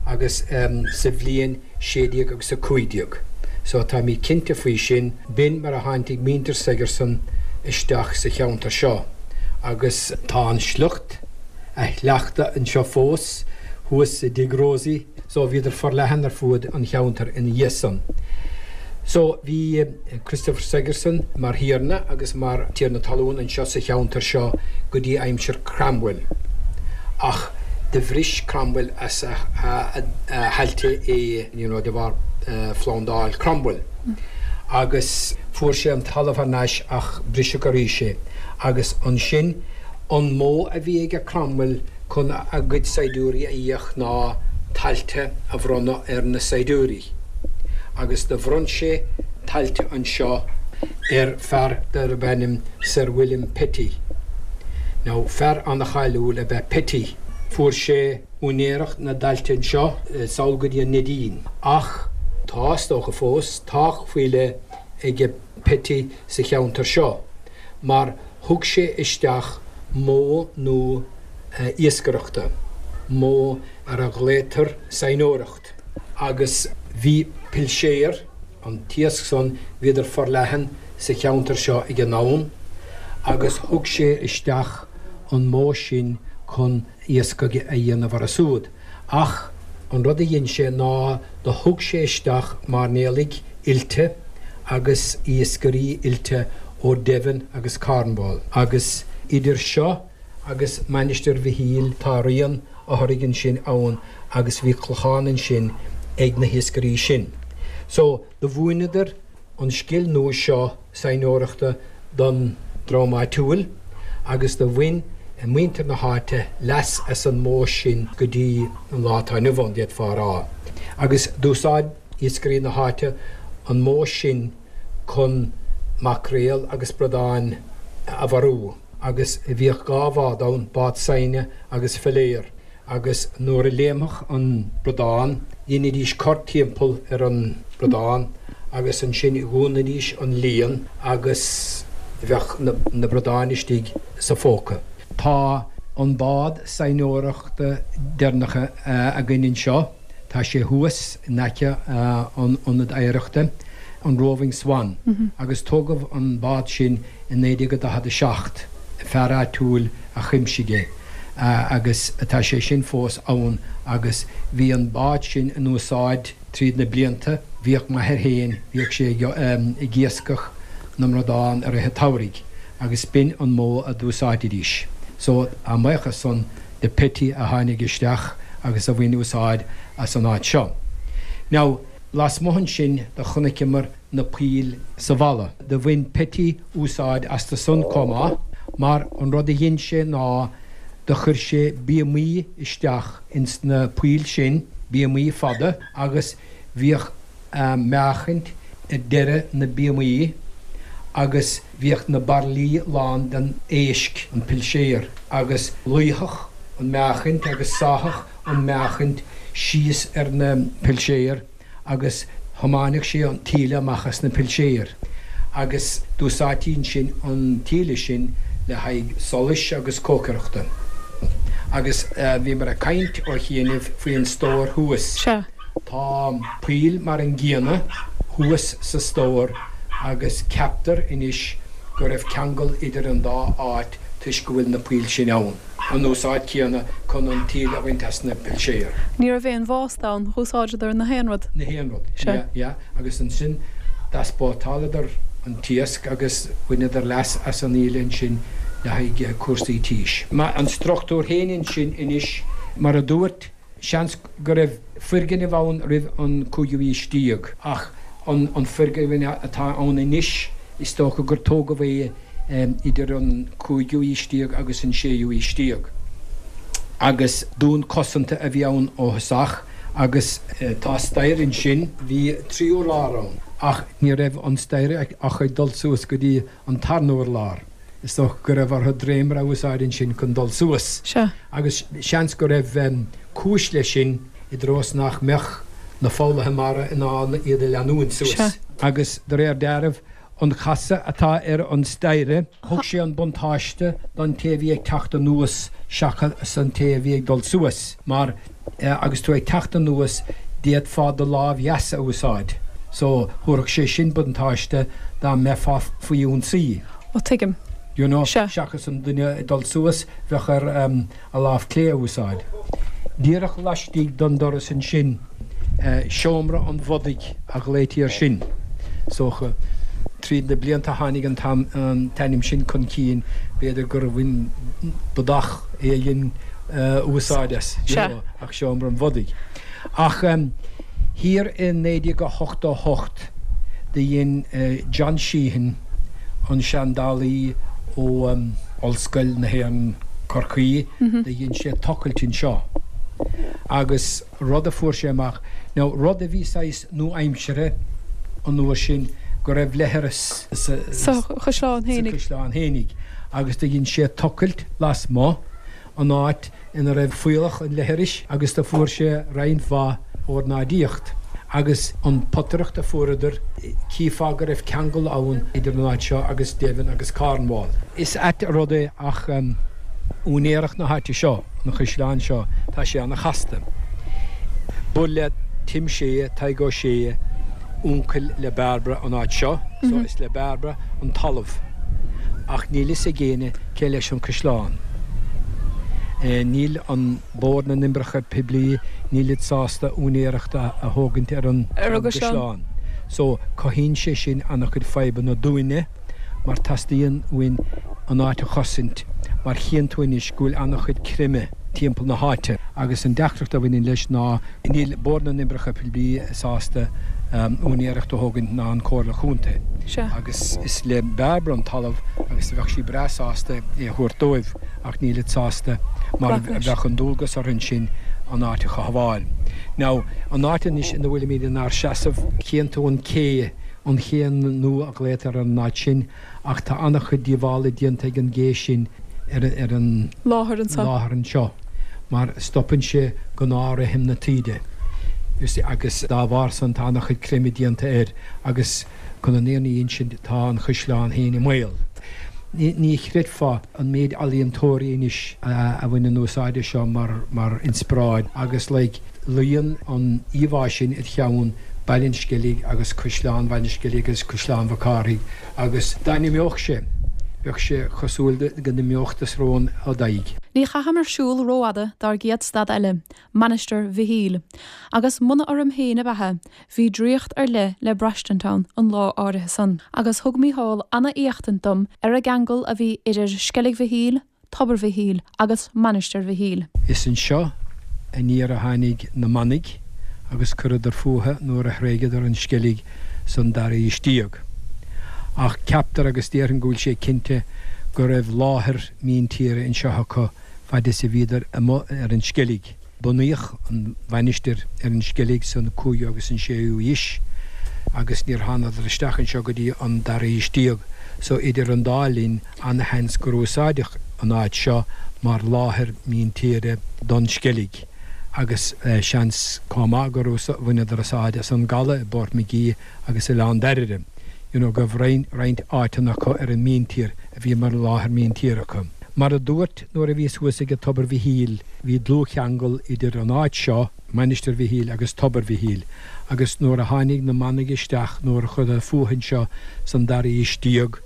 agus sa bhliain 16 agus 15. So táimid cinnte faoi sin, b'in mar a tháinig muintir Sigerson isteach sa cheantar seo agus tá an sliocht, a shleachta anseo fós, thuas i dTigh Rosie. So bhíodar forleathan ar fuaid an cheantair ina dhiaidh san. So bhí Christopher Sigerson mar thiarna agus mar tiarna talún anseo sa cheantar seo go dtí aimsir Cromwell. Ach do bhris Cromwell as a thailte é you know de bharr phlandáil Cromwell. Agus fuair sé an talamh thar n-ais ach briseadh arís é. Agus ansin an modh a bhí aige Cromwell chun a gcuid saighdiúirí a íoc ná tailte a bhronnadh ar na saighdiúirí agus do bhronn sé tailte anseo ar fear darb ainm Sir William Petty. Now fear ana-cháiliúil ab ea Petty. Fuair sé úinéireacht na dtailte anseo sall go dtí an Neidín ach tá, is dócha fós, teach faoi leith aige Petty sa cheantar seo. mar thug sé isteach modh nua iascaireachta, modh ar a ghlaotar saighneoireacht, agus bhí pilséir, an t-iasc san, bhíodar forleathan sa cheantar seo ag an am, agus thug sé isteach an modh sin chun iascaigh a dhéanamh orthu siúd. Ach an rud a dhein sé ná do thug sé isteach mairnéalaigh oilte agus iascairí oilte ó Devon agus Cornwall. Agus idir seo agus Mainistir Mhichíl tá rian a thoraidh ansin ann agus bhí clochán ansin ag na hiascairí sin. So do mhúineadar an scil nua seo saighneoireachta don dream áitiúil agus do bhain muintir na háite leas as an modh sin go dtí an lá atá inniu ann, d'fhéadfá a rá. Agus d'úsáid iascairí na háite an modh sin chun maicréal agus bradáin a mharú agus bhíodh 2 bhád ann, bád saighne agus filéar. agus nuair a léimfeadh an bradán, dheinidís cor timpeall ar an bradán agus ansin dhúnaidís an líon agus bheadh na bradáin istigh sa phóca. Tá an bád saighneoireachta deireanach againn anseo, tá sé thuas in aice an Ionad Oidhreachta, an Roving Swan, agus tógadh an bád sin i 1947, fear áitiúil a chuimsigh é agus tá sé sin fós ann agus bhí an bád sin in úsáid tríd na blianta, bhíodh m'athair féin, bhíodh sé ag iascach na mbradán i rith an tsamhraidh agus b'in an modh a d'úsáididís. So, a mbuíochas san do Petty a tháinig isteach agus a bhain úsáid as an áit seo. Now, lasmuigh ansin do chonaiceamar na poill sa bhalla. Do bhain Petty úsáid astu san chomh maith, mar an rud a dhein sé ná do chuir sé bíomaí isteach ins na poill sin, bíomaí fada, agus bhíodh meáchaint ar deireadh na bíomaí agus bhíodh na bairillí lán den éisc, an pilséar, agus luífeadh an meáchaint agus sáfadh an meáchaint síos ar na pilséir. agus thiomáineadh sé an taoille amach as na pilséir agus d'úsáidtí ansin an taoille sin le haghaidh solais agus cócaireachta. Agus bhíomar ag caint ó chianaibh faoi an stór thuas. Sea. Tá poill mar an gcéanna thuas sa stór agus ceaptar anois go raibh ceangal idir an dá áit toisc go bhfuil na poill sin ann. an úsáid chéanna chun an taoille a bhaint as na pilséir. Ní raibh aon bhásta ann, dh'úsáideadar na haon rud. Na haon rud, yeah, yeah, agus ansin d'easpórtáladar an t-iasc agus bhaineadar leas as an aoile ansin le haghaidh cúrsaí tís. An struchtúr féin ansin anois, mar a dúirt, Seans go raibh foirgneamh ann roimh an cúigiú haois déag, ach an foirgneamh atá ann anois, is dócha gur tógadh é idir an cúigiú haois déag agus an séú haois déag. Agus dún cosanta a bhí ann ó thosach. Agus tá staighre ansin, bhí 3 urlár ann ach ní raibh an staighre ach ag dul suas go dtí an tarna urlár. Is dócha go raibh orthu dréimire a úsáid ansin chun dul suas. Sea. Agus seans go raibh cúis leis sin i dtreo is nach mbeadh na foghlaithe mara in ann iad a leanúint suas. Sea. Agus de réir dealraimh, an casadh atá ar an staighre, thug sé an buntáiste don té a bhí ag teacht anuas seachas an té a bhí ag dul suas, mar agus tú ag teacht anuas d'fhéadfá do lámh dheas a úsáid so thabharfadh sé sin buntáiste dá mbeifeá faoi ionsaí. Ó tuigim. You know, Sea. seachas an duine ag dul suas bheadh air a lámh clé a úsáid. Díreach laistigh den doras ansin, seomra an bhodaigh a ghlaoití air sin. Is dócha, tríd na blianta tháinig an t-ainm sin chun cinn, b'fhéidir gur bhain bodach éigin úsáid as, you know, ach seomra an bhodaigh. Ach thiar i 1988 do dhein John Sheehan, an seandálaí ó Ollscoil na hÉireann, Corcaigh, do dhein sé tochailt anseo agus rud a fuair sé amach, now rud a bhí saghas nua-aimseartha an uair sin, go raibh leithreas sa chaisleán fhéinig agus do dhein sé tochailt lasmuigh an áit ina raibh fuíollach an leithris agus do fuair sé roinnt mhaith ornáidíocht agus an potaireacht a fuaireadar, chífeá go raibh ceangal ann idir an áit seo agus Devon agus Cornwall. Is ait an rud é ach úinéireacht na háite seo, an chaisleáin seo, tá sé ana-chasta. Ba le Tim Shea, Tadhg Ó Sé, uncail le Bairbre an áit seo, so is le Bairbre an talamh ach níl fhios ag éinne cé leis an caisleán. Níl an Bord na nOibreacha Poiblí, nílid sásta úinéireacht a thógaint ar an gcaisleán. So, cothaíonn sé sin an-chuid fadhbanna dúinne mar teastaíonn uainn an áit a chosaint mar chíonn tú anois go bhfuil an-chuid creimeadh timpeall na háite agus an deacracht a bhaineann leis ná Níl Bord na nOibreacha Poiblí sásta úinéireacht a thógaint ná an Comhairle Chontae agus is le Bairbre an talamh agus bheadh sí breá sásta é a thabhairt dóibh ach nílid sásta mar bheadh an dualgas orthu ansin an áit a chothabháil. Now, an áit anois ina bhfuilimid inár seasamh, chíonn tú an cé, an ché nua a ghlaotar ar an áit sin, Ach tá an-chuid díobhála déanta ag an gcé sin ar an láthair anseo mar stopann sé gnáth-rithim na taoide, you see, agus dá bharr san tá an-chuid creimeadh déanta air agus chun an fhírinne a insint tá an chaisleán féin i mbaol. Ní chreidfeá an méid ealaíontóirí anois a bhaineann úsáid as seo mar inspioráid agus like luíonn an íomhá sin id cheann, Baile an Sceilg agus Caisleán Bhaile an Sceilg agus Caisleán Mhac Cárthaigh agus dá n-imeodh sé, bheadh sé cosúil go n-imeodh do srón ó d'aghaidh. Ní chaitheamar siúl rófhada dár gcéad stad eile, Mainistir Mhichíl. Agus muna orm féin a beatha, bhí draíocht ar leith le braistint ann an lá áirithe san. Agus thug Mícheál ana-éachtaint dom ar an gceangal a bhí idir Sceilg Mhichíl, Tobar Mhichíl agus Mainistir Mhichíl. Is anseo aniar a tháinig na manaigh agus chuireadar fúthu nuair a thréigeadar an Sceilg san dara haois déag. Ach ceaptar agus déarfainn go bhfuil sé cinnte go raibh láthair míntíre anseo acu fad is a bhíodar amuigh ar an Sceilg. Bunaíodh an mhainistir ar an Sceilg san cúigiú agus an séú haois agus níor thánadar isteach anseo go dtí an dara haois déag so idir an dá linn ana-sheans gur úsáideadh an áit seo mar láthair míntíre don Sceilg agus seans chomh maith gur bhaineadar úsáid as an gcaladh i bPort Magee agus Oileán Dairbhre, you know go raibh roinnt áiteanna acu ar an míntír a bhí mar láthair míntíre acu. Mar a dúirt nuair a bhíos thuas ag Tobar Mhichíl, bhí dlúthcheangal idir an áit seo, Mainistir Mhichíl agus Tobar Mhichíl, agus nuair a tháinig na manaigh isteach, nuair a chuireadar fúthu anseo san dara haois déag,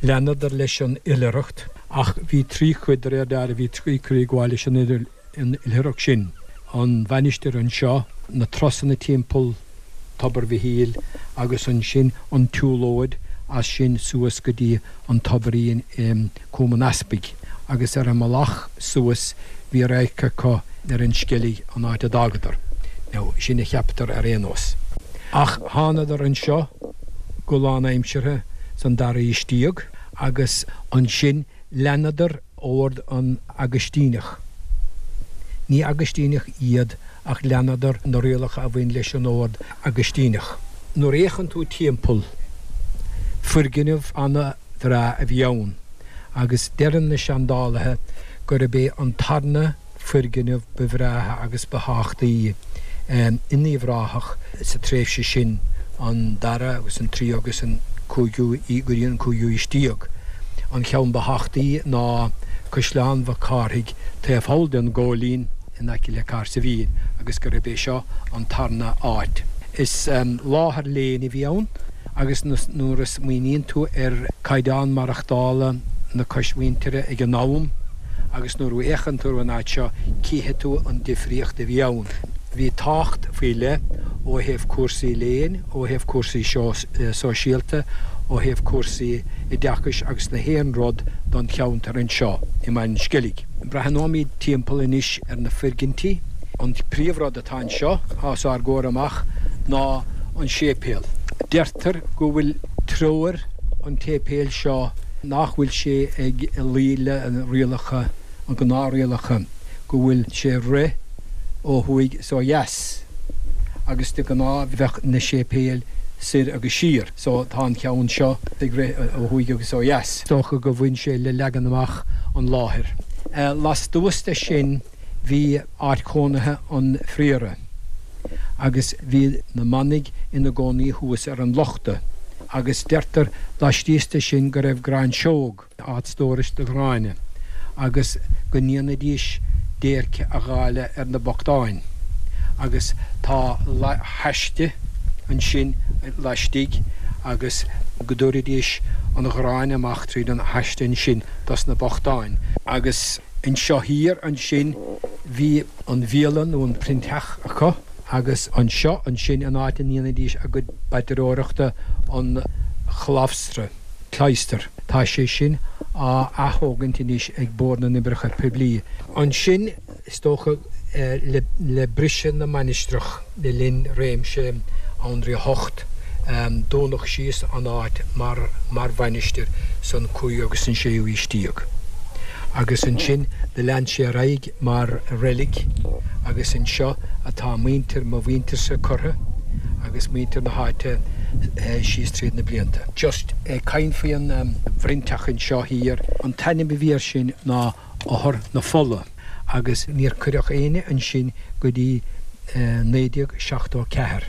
leanadar leis an oilithreacht, ach bhí tri chuid, de réir dealraimh, bhí tri chuid ag gabháil leis an oilithreacht sin, an mhainistir anseo, na turasanna timpeall Tobar Mhichíl agus ansin an tsiúlóid as sin suas go dtí an tobairín i Cúm an Easpaig agus ar an mbealach suas bhí radharc acu ar an Sceilg an áit a d'fhágadar. Now, sin a cheaptar ar aon nós. Ach thánadar anseo go lánaimseartha san dara haois déag agus ansin leanadar ord an Agaistíneach. Ní Agaistíneach iad. Ach leanadar na rialacha a bhain leis an ord Agaistíneach. Nuair a fhéachann tú timpeall, foirgneamh ana-bhreá a bhí ann, agus deireann na seandálaithe gurb é an tarna foirgneamh ba bhreátha agus ba thábhachtaí in Uíbh Ráthach sa tréimhse sin, an dara agus an tríú agus an cúigiú go dtí an cúigiú haois déag. An cheann ba thábhachtaí ná Caisleán Mhac Cárthaigh taobh thall den Ghóilín in aice le Cahersiveen agus gurb é seo an tarna áit. Is láthair léinn a bhí ann agus nuair a smaoiníonn tú ar caighdeán maireachtála na coismhuintire ag an am agus nuair a fhéachann tú ar an áit seo cífidh tú an difríocht a bhí ann. Bhí tábhacht faoi leith ó thaobh cúrsaí léinn, ó thaobh cúrsaí sóisialta, ó thaobh cúrsaí oideachais agus na haon rud don cheantar anseo i mBaile an Sceilg. Breathnóimid timpeall anois ar na foirgintí. An príomhrud atá anseo os ár gcomhair amach ná an séipéal. Deirtear go bhfuil treoir an tséipéil seo nach bhfuil sé ag luí le rialacha, an gnáthrialacha, go bhfuil sé ag rith ó thuaidh is ó dheas agus de ghnáth bheadh na séipéil soir agus siar. So tá an ceann seo ag rith ó thuaidh agus ó dheas. Is dócha go bhain sé le leagan amach an láthair. Lastuas de sin bhí áit chónaithe an phriora agus bhí na manaigh ina gcónaí thuas ar an lochta agus deirtear laistíos de sin go raibh gráinseog. áit stórais do ghráinne, agus go ndéanaidís déirce a dháileadh ar na bochtáin, agus tá haiste ansin laistigh agus go dtabharaidís an ghráin amach tríd an haiste ansin dos na bochtáin. Agus anseo thiar ansin bhí an bhialann nó an proinnteach acu agus anseo ansin an áit a ndéanaidís a gcuid paidreoireachta an chlabhstra. Cloister. Tá sé sin á ath-thógaint anois ag Bord na nOibreacha Poiblí. Ansin, is dócha, le briseadh na mainistreach le linn réimse Anraí a hOcht, dúnadh síos an áit mar mar mhainistir san cúigiú agus san séú aois déag. Agus ansin do lean sé ar aghaidh mar reilig agus anseo atá muintir mo mhuintirse curtha agus muintir na háite síos tríd na blianta. Just ag caint faoi an bhproinnteach anseo thiar, an t-ainm a bhí air sin ná Othar na Fola agus níor cuireadh éinne ansin go dtí 1974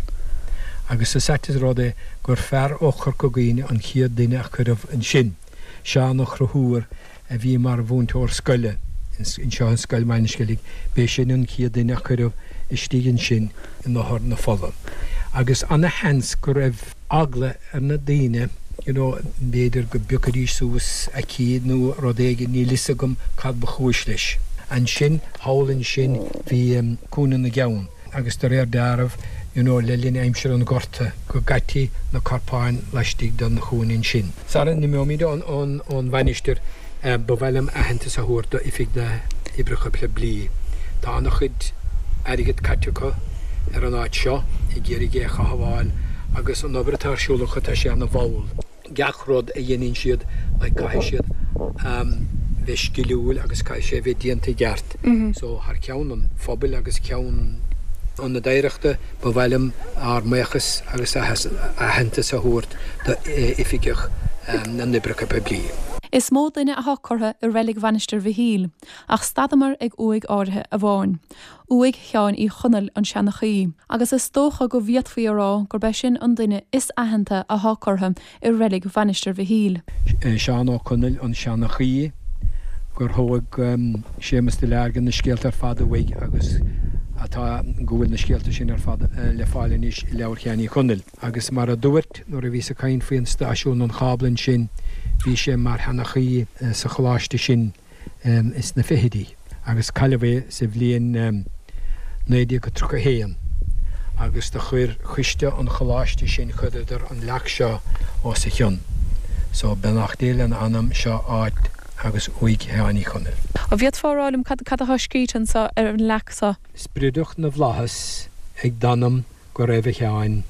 agus is ait an rud é gur fear ó Chorca Dhuibhne an chéad duine a cuireadh ansin, Seán Ó Conchúir a bhí mar mhúinteoir scoile anseo i Scoil Bhaile an Sceilg, b'é sin an chéad duine a cuireadh istigh ansin in Othar na Fola. Agus ana-sheans go raibh eagla ar na daoine, you know, b'fhéidir go bpiocfaidís suas aicíd nó rud éigin, níl fhios agam cad ba chúis leis. Ansin, thall ansin, bhí Cúinne na gCeann. agus de réir dealraimh, you know, le linn aimsir an Ghorta, go gcaití na corpáin laistigh den chúinne ansin. Sara n-imeoimid ón mhainistir, ba mhaith liom aitheantas a thabhairt d'Oifig na nOibreacha Poiblí. Tá an-chuid airgid caite acu ar an áit seo, ag iarraidh é a chothabháil, agus an obair atá ar siúl acu, tá sé ana-mhall. gach rud a dhéanann siad like caithfidh siad bheith sciliúil agus caithfidh sé bheith déanta i gceart. So thar ceann an phobail agus ceann Ionad Oidhreachta ba mhaith liom ár mbuíochas agus aitheantas a thabhairt d'Oifigeach na nOibreacha Poiblí. Is mó duine athá curtha i reilig Mhainistir Mhichíl, ach stadamar ag uaigh áirithe amháin. Uaigh Sheáin Uí Chonaill, an seanchaí, agus is dócha go bhféadfaí a rá gurb é sin an duine is aitheanta athá curtha i reilig Mhainistir Mhichíl. Seán Ó Conaill, an seanchaí, gur thóg Séamus de Learga na scéalta ar fad uaidh agus atá, go bhfuil na scéalta sin ar fad le fáil anois i Leabhar Sheáin Uí Chonaill. Agus mar a dúirt, nuair a bhíos ag caint faoi an stáisiún an chábla ansin, bhí sé mar sheanchaí sa choláiste sin. ins na fichidí agus cailleadh é sa bhliain 1931 agus do chuir coiste an choláiste sin chuireadar an leac seo os a chionn. So beannacht Dé lena anam, seo áit agus uaigh Sheáin Uí Chonaill. An bhféadfá a rá liom cad atá scríte anso ar an leac so? Spriodach na bhFlaitheas ag d'anam go raibh a Sheáin,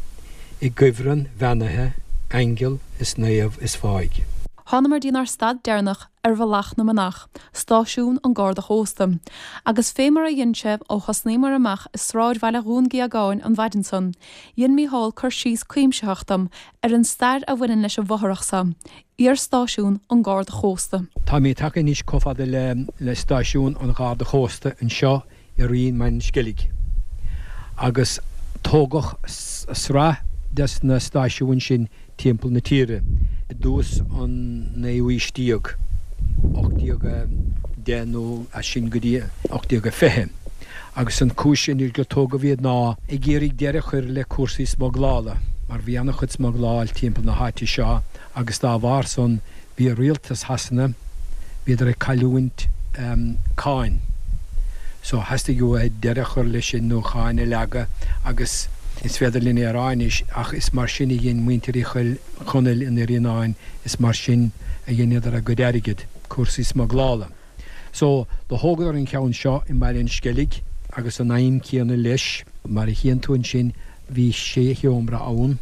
i gcuibhreann bheannaithe aingeal is naomh is fáidh. Thánamar dtínár stad deireanach ar Bhealach na Manach, stáisiún an Garda Chósta. Agus fé mar a dhein sé ó thosnaíomar amach i sráidbhaile Dhún Géagáin an mhaidin san, dhein Mícheál cur síos cuimsitheach dom ar an stair a bhaineann leis an bhfothrach so, iar-stáisiún an Gharda Chósta. Tá mé tagtha anois chomh fada le stáisiún an Gharda Chósta anseo i Rinn Mhic an Sceilg agus tógadh sraith des na stáisiúin sin timpeall na tíre i dtús an naoú aois déag, 1810 nó as sin go dtí 1820, agus an chúis sin gur tógadh iad ná ag iarraidh deireadh a chur le cúrsaí smuglála mar bhí an-chuid smugláil timpeall na háite seo agus dá bharr san Bhí rialtas Shasana, bhíodar ag cailliúint cáin. So theastaigh uathu deireadh a chur leis sin nó cáin a leagadh agus is féidir linn é a rá anois ach is mar sin a dhein muintir Uí Chonaill in Iarnáin, is mar sin a dheineadar a gcuid airgid, cúrsaí smuglála. So do thógadar an ceann seo i mBaile an Sceilg agus an aidhm céanna leis. Mar a chíonn tú ansin bhí sé sheomra ann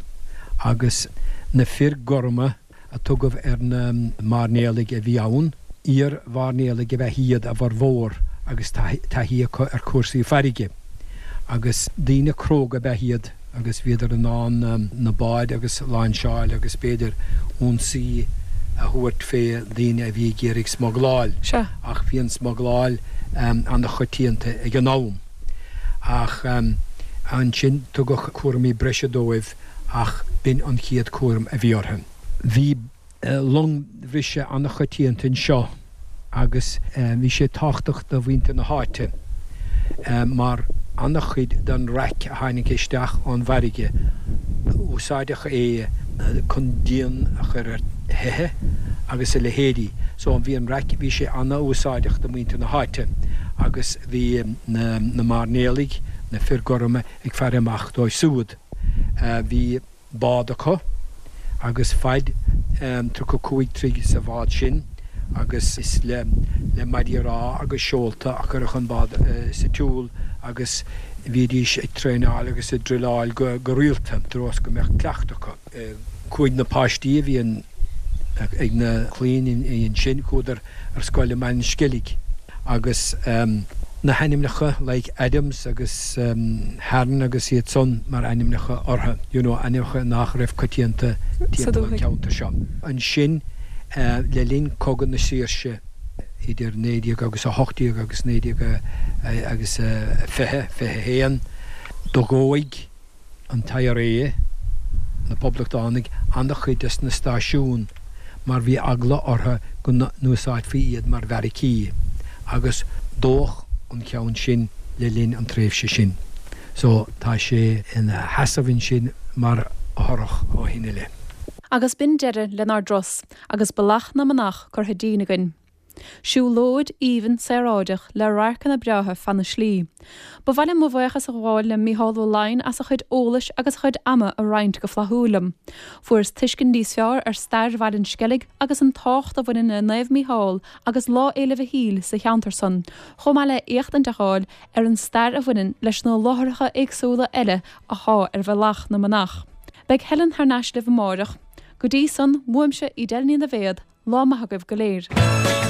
agus na fir gorma, a tugadh ar na mairnéalaigh a bhí ann. Iar-mhairnéalaigh ab ea iad a bhformhór agus taithí acu ar chúrsaí farraige. Agus daoine cróga ab ea iad agus bhíodar in ann na báid agus lainseáil agus b'fhéidir ionsaí a thabhairt fé daoine a bhí ag iarraidh smugláil. Ach bhí an smugláil an-choitianta ag an am. Ach ansin tugadh cúraimí breise dóibh. ach b'in an chéad cúram a bhí orthu. Bhí longbhriseadh an-choitianta anseo agus bhí sé tábhachtach do mhuintir na háite mar an-chuid den raic a tháinig isteach ón bhfarraige, úsáideadh é chun díon a chur ar thithe agus a leithéidí. So bhí an raic, bhí sé an-úsáideach do mhuintir na háite agus bhí na mairnéalaigh, na fir gorma ag faire amach dóibh siúd. Bhí bád acu agus faid 35 troigh sa bhád sin agus is le le maidí rámha agus seolta a cuireadh an bád sa tsiúl agus bhídís ag traenáil agus ag druileáil go go rialta i dtreo is go mbeadh cleachtadh acu. Chuaigh na páistí a bhí ag na clainn ansin, chuadar ar scoil i mBaile an Sceilg agus na hainmneacha like Adams agus Hearn agus iad san mar ainmneacha orthu, you know, ainmneacha nach raibh coitianta timpeall an cheantair seo. Ansin le linn Cogadh na Saoirse idir 19 agus 18 agus 19 agus 20, 21, do dhóigh an tIRA, na Poblachtánaigh, an-chuid des na stáisiúin mar bhí eagla orthu go n-úsáidfí iad mar bheairicí agus dódh an ceann sin le linn an tréimhse sin. So tá sé ina sheasamh ansin mar fhothrach ó shin i leith. Agus b'in deireadh lenár dturas agus Bealach na Manach curtha dínn againn. Siúlóid aoibhinn saoráideach le radharcanna breátha feadh na slí. Ba mhaith liom mo bhuíochas a ghabháil le Mícheál Ó Laighin as a chuid eolais agus a chuid ama a roinnt go flaithiúil liom. Fuaireas tuiscint níos fearr ar stair Bhaile an Sceilg agus an tábhacht a bhaineann le Naomh Mícheál agus Lá Fhéile Mhichíl sa cheantar san, chomh maith le éachtaint a fháil ar an stair a bhaineann leis na láithreacha éagsúla eile athá ar Bhealach na Manach. Beidh Helen thar n-ais libh amáireach. Go dtí san, uaimse, Edel Ní Dhaibhéad, Lá maith agaibh go léir.